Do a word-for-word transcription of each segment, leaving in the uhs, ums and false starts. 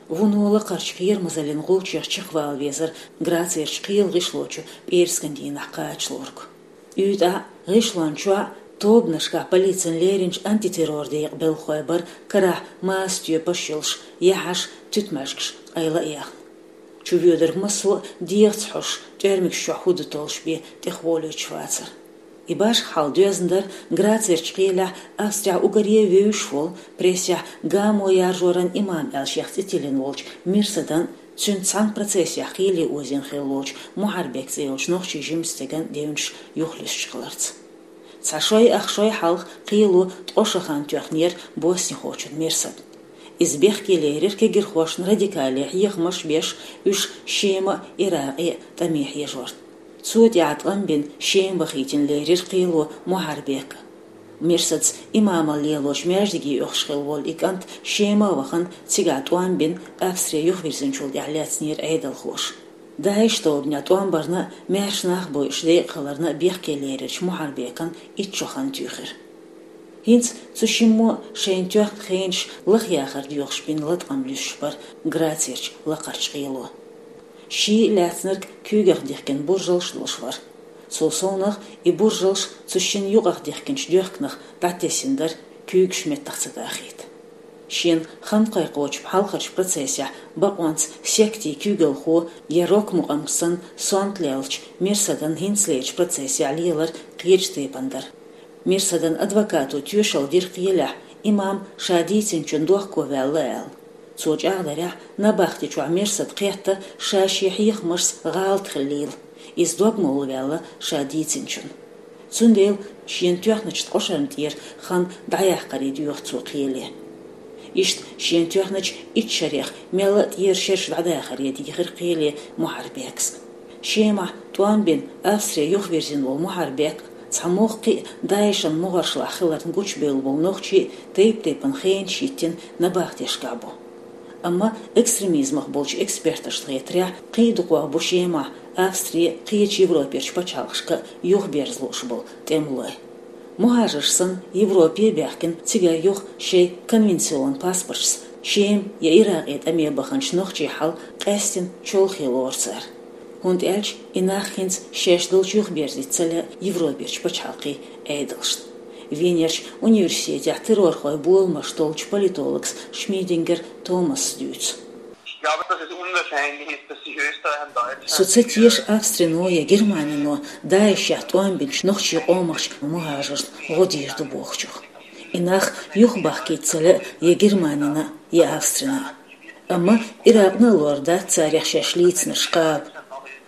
Вуно лакхарчу кхерамазаллин гӀулчех чекхвала везара Грацерчу кхелан гӀишлочу пӀераскан дийнахь кхачалург. УьйтӀахь гӀишлон чохь тобанашкахь полицин леринчу антитеррор декъан белхалой бара карахь маса тоьпаш йолуш, яхьаш, туьтмаьжгаш къайла а яьхна. Чувоьдург массо а дегӀаца хьоьжуш, тӀоьрмигаш чохь хӀун ду толлуш бен тӀехволуьйтуш вацара. И башха хьал доьзна дара Грацерчу кхелехь Австрехь уггаре вевзаш волу, прессехь гамо яржоран имам аьлла шех цӀе тиллина волчу Мирсадан, цуьнца цхьаьна процессехь кхеле озийна хилла волчу Мухьарбек цӀе йолчу нохчийн жимачу стеган девнаш юхалуьстуш хиларца. Цхьа шой-ах шой хьалха кхело ткъа шо хан тоьхнера боснихочун Мирсадан. Иза бехке лерира кегирхошна радикале хьехамаш а беш, уьш Шема а, Иракъе а тӀаме хьежорна. Цо тӀехь тӀом бина, Шема вахийтина лерира кхело Мухьарбека. Мирсадас имамалла лелочу маьждиге оьхуш хилла волу и кӀант Шема а вахана, цигахь тӀом бина, Австри юхавирзинчул тӀаьхьа лаьцнера Ӏедалхоша. ДАИШ тобанехь тӀом барна а, маьрша нах бойуш декъахиларна а бехке леринчу Мухьарбекан итт шо хан туьйхира. ХӀинца цу шиммо шайна тоьхна хенаш лахъяхар доьхуш бина латкъам луьстуш бара Грацерчу лакхарчу кхело. Ший а лаьцнарг куьйгах дихкина буржалш долуш вара. Цул совнах и буржалш цу шина юкъах дихкинчу доьхканах дӀатесна дара, куьйгаш меттах ца дахийта. Шена хан кхайкхочу хьалхарчу процессехь бакъонца сектийн куьйгалхо я рок-мукъамгаш санна сонта леллачу Мирсадан хӀинцалерчу процессехь лелар кхечу тайпана дара. Мирсадан адвокато тоьшалла дира кхелехь, имам ша дийцинчун дохко ваьлла аьлла. Цо чӀагӀдарехь, набахти чохь Мирсада кхетта ша шен хьехамашца гӀалат хиллийла, иза догмалла ваьлла ша дийцинчун. Цундела шена тоьхначу ткъа шарна тӀера хан дӀаяккхаре доьху цо кхеле. Иштта шена тоьхначу итт шарех мелла а тӀера шераш дӀадахаре дийхира кхеле Мухьарбекас. Шемахь тӀом бина, Австри юхавирзина волу Мухьарбек цхьа могӀа кхин а ДАИШан могӀаршлахь хиларна гучубевлла болу нохчий а тайп-тайпана хенаш йиттина набахтешкахь бу. Амма экстремизмах болчу эксперташна хетарехь, кхин а дукхох бу Шемахь Австри а, кхечу Европерчу пачхьалкхашка а юхаберза лууш болу тӀемалой. Мухьажарш санна, Европе а баьхкина, цигара юха шайн конвенцион паспорташца Шема я Иракъе тӀаме баханчу нохчийн хьал къаьстина чолхе лору цара. ХӀунда аьлча и нах хӀинца шаьш долчу юхаберзийта ца лаьа Европерчу пачхьалкхийн Ӏедалшна. Венерчу университетехь террорхойн боламаш толлучу политологас Шмидингер Томасас дуьйцу. Ich glaube, dass es unwahrscheinlich ist, dass sich Österreich und Deutschland Со ца теша Австрино я Германино ДАИШехь тӀом бинчу нохчийн къомахчу мухӀажаршна гӀо дийр ду бохучух. И нах юхабахкийта ца лаьа я Германина, я Австрина. Амма Иракъна а лор дац царех шаьш лийцинарш кхаба.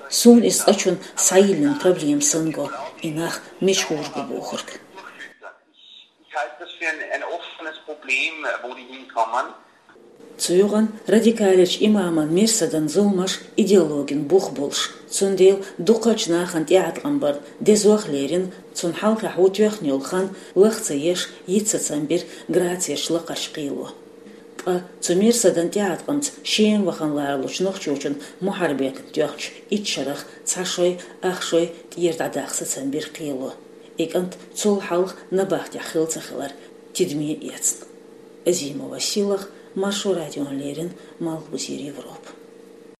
Суна иза цкъачунна схьайиллина проблема санна го, и нах мича гӀур бу бохург. Ich halte das für ein, ein offenes Problem, wo die hinkommen. Цу юкъана радикалерчу имаман Мирсадан зуламаш идеологин бух болуш, цундела дукхачу нахана тӀеӀаткъам бар дезох а лерина, цунна хьалхахь ву тоьхна йолу хан лаха ца еш, йита сацам бира Грацерчу лакхарчу кхело. Ткъа цу Мирсадан тӀеӀаткъамца Шема вахана ларалучу нохчочун Мухьарбекан тоьхначу итт шарах цхьа шой, ах шой тӀера дӀадаккха сацам бира кхело. И кӀант цул хьалха набахтехь хилла ца хилар тидаме эцна. Азимова Силах, Маршо радиона леррина, Малхбузера Европа.